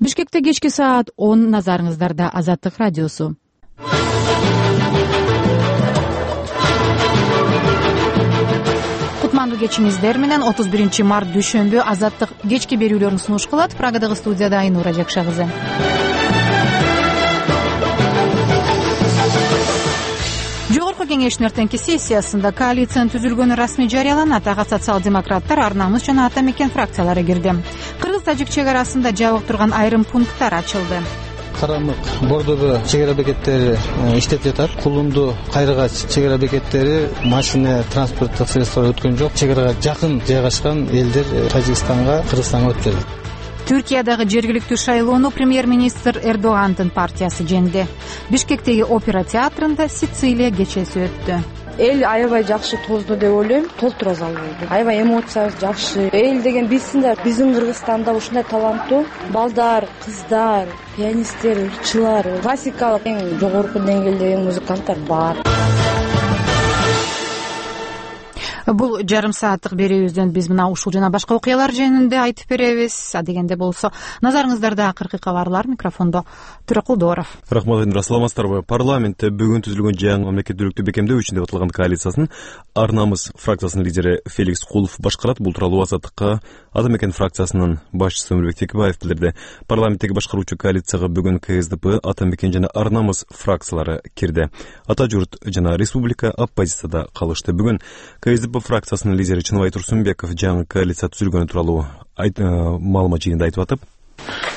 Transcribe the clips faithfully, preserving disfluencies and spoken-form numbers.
Бишкекте кечки саат он, назарыңыздарда Азаттык радиосу. Кутмандуу кечиңиздер менен отуз биринчи март дүйшөмбү Азаттык кечки берүүлөрүн сунуш кылат. Прагадагы студияда Айнура Жакша кызы. Жогорку кеңештин эртеңки сессиясында коалициянын түзүлгөнү расмий жарыяланат. Ага социал-демократтар, Ар намыс жана Ата мекен фракциялары кирди. Кыргыз-тажик чек арасында жабык турган айрым пункттар ачылды. Карамык, Бордобо чек ара бекеттери иштеп жатат. Кулунду, Кайрыгач чек ара бекеттери машина, транспорттук средстволор өткөн жок. Чек арага жакын жайгашкан элдер Тажикстанга, Кыргызстанга өтүп жатат. Түркиядагы жергиликтүү шайлоону премьер-министр Эрдогандын партиясы жеңди. Бишкектеги опера театрында Сицилия кечеси өттү. Эл аябай жакшы тоозду деп ойлойм. Толтура зал болду. Аябай эмоция жакшы. Эл деген билсин да, биздин Кыргызстанда ушундай таланттуу балдар, кыздар, пианисттер, ырчылар, классикалык эң жогорку деңгээлдеги музыканттар бар. Бул жарым сааттык берүүбүздөн биз мына ушул жана башка окуялар жөнүндө айтып беребиз. Адегенде болсо, назарыңыздарда акыркы кабарлар. Микрофондо Туракулдоров. Рахмат, Айнура. Саламатсыздарбы? Парламентте бүгүн түзүлгөн жаңы мамлекеттүүлүктү бекемдөө үчүн деп аталган коалициясын Ар намыс фракциясынын лидери Феликс Кулов башкарат. Бул тууралуу Азаттыкка Ата мекен фракциясынын башчысы Өмүрбек Текебаев билдирди. Парламенттеги башкаруучу коалицияга бүгүн КСДП, Ата мекен жана Ар намыс фракциялары кирди. Ата журт жана Республика оппозицияда калышты. Бүгүн КСДП фракциясынын лидери Чыныбай Турсунбеков жаңы коалиция түзүлгөнү тууралуу маалымат жыйында айтып атып,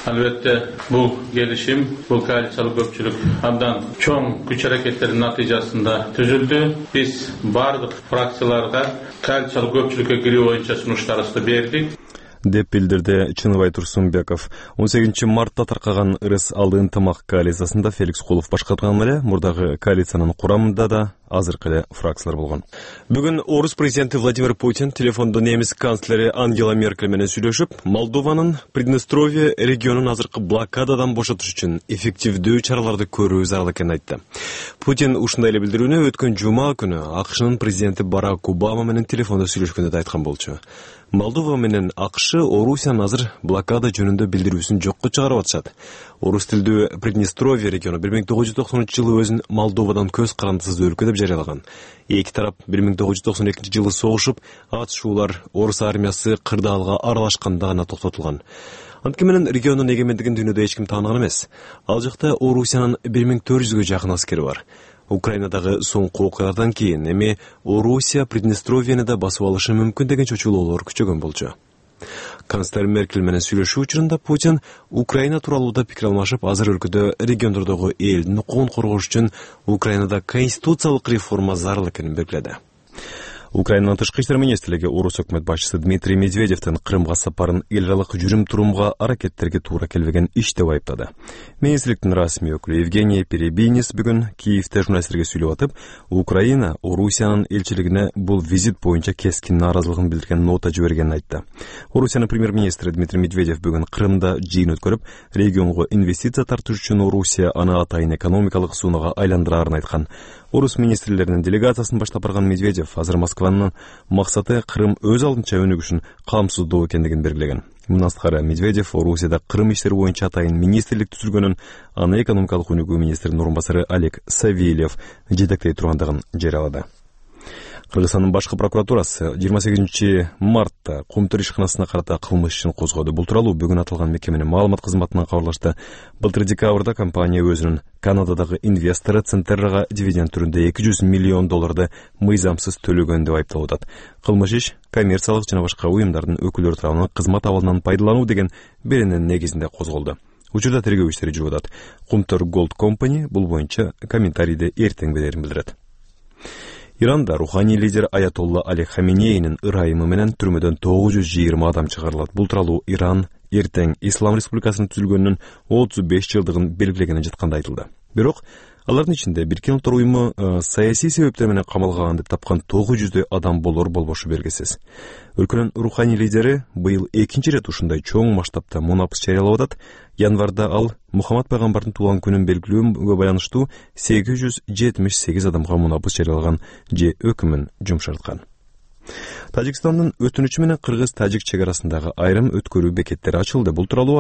албетте бул келишим, бул коалициялык көпчүлүк абдан чоң күч аракеттердин натыйжасында түзүлдү. Биз бардык фракцияларга коалициялык көпчүлүккө кирүү боюнча сунуштарыбызды бердик деп билдирди Чыныбай Турсунбеков. он сегизинчи мартта таркаган ырыс алды ынтымак коалициясында Феликс Кулов башкарган эле, мурдагы коалициянын курамында да азыркы эле фракциялар болгон. Бүгүн орус президенти Владимир Путин телефондо немис канцлери Ангела Меркель менен сүйлөшүп, Молдованын Приднестровье регионун азыркы блокададан бошотуш үчүн эффективдүү чараларды көрүү зарыл экенин айтты. Путин ушундай эле билдирүүнү өткөн жума күнү АКШнын президенти Барак Обама менен телефондо сүйлөшкөндө да айткан болчу. Молдова менен АКШ Орусиянын азыр блокада жөнүндө билдирүүсүн жокко чыгарып атышат. Орус тилдүү Приднестровье региону бир миң тогуз жүз токсонунчу жылы өзүн Молдовадан көз карандысыз өлкө деп жарыялаган. Эки тарап бир миң тогуз жүз токсон экинчи жылы согушуп, атышуулар орус армиясы кырдаалга аралашканда гана токтотулган. Анткени менен региондун эгемендигин дүйнөдө эч ким тааныган эмес. Ал жакта Орусиянын бир миң төрт жүзгө жакын аскери бар. Украинадагы соңку окуялардан кийин эми Орусия Приднестровьени да басып алышы мүмкүн деген чочулоолор күчөгөн болчу. Канцлер Меркель менен сүйлөшүү учурунда Путин Украина тууралуу да пикир алмашып, азыр өлкөдө региондордогу элдин укугун коргош үчүн Украинада конституциялык реформа зарыл экенин белгиледи. Украинанын тышкы иштер министрлиги орус өкмөт башчысы Дмитрий Медведевдин Крымга сапарын эл аралык жүрүм-турумга аракеттерге туура келбеген иш деп айыптады. Министрликтин расмий өкүлү Евгений Перебинис бүгүн Киевде журналисттерге сүйлөп атып, Украина Орусиянын элчилигине бул визит боюнча кескин нааразылыгын билдирген нота жибергенин айтты. Орусиянын премьер-министри Дмитрий Медведев бүгүн Крымда жыйын өткөрүп, регионго инвестиция тартыш үчүн Орусия аны атайын экономикалык суунага айландырарын айткан. Орус министрлеринин делегациясын баштап барган Медведев азыр Москванын максаты Крым өз алдынча өнүгүшүн камсыздоо экендигин белгилеген. Мындан сырткары Медведев Орусияда Крым иштери боюнча атайын министрлик түзүлгөнүн, аны экономикалык өнүгүү министринин орун басары Олег Савельев жетектей тургандыгын жарыялады. Кыргызстандын башкы прокуратурасы жыйырма сегизинчи мартта Кумтөр ишканасына карата кылмыш ишин козгоду. Бул тууралуу бүгүн аталган мекеменин маалымат кызматынан кабарлашты. Былтыр декабрда компания өзүнүн Канададагы инвестору Центеррага дивиденд түрүндө эки жүз миллион долларды мыйзамсыз төлөгөн деп айыпталып атат. Кылмыш иш коммерциялык жана башка уюмдардын өкүлдөрү тарабынан кызмат абалынан пайдалануу деген беренин негизинде козголду. Учурда тергөө иштери жүрүп атат. Кумтөр Gold Company бул боюнча комментарийди эртең берерин билдирет. Иранда руханий лидер Аятолла Али Хаменейнин ырайымы менен түрмөдөн тогуз жүз жыйырма адам чыгарылат. Бул тууралуу Иран эртең Ислам Республикасынын түзүлгөнүнүн отуз беш жылдыгын белгилегени жатканда айтылды. Бирок алардын ичинде Бириккен Улуттар уюму саясий себептер менен камалган деп тапкан тогуз жүздөй адам болор болбошу белгисиз. Өлкөнүн руханий лидери быйыл экинчи ирет ушундай чоң масштабта мунапыс жарыялап атат. Январда ал Мухаммад пайгамбардын туулган күнүн белгилөөгө байланыштуу сегиз жүз жетимиш сегиз адамга мунапыс жарыялаган же өкүмүн жумшарткан. Тажикстандын өтүнүчү менен кыргыз-тажик чек арасындагы айрым өткөрүү бекеттери ачылды. Бул тууралуу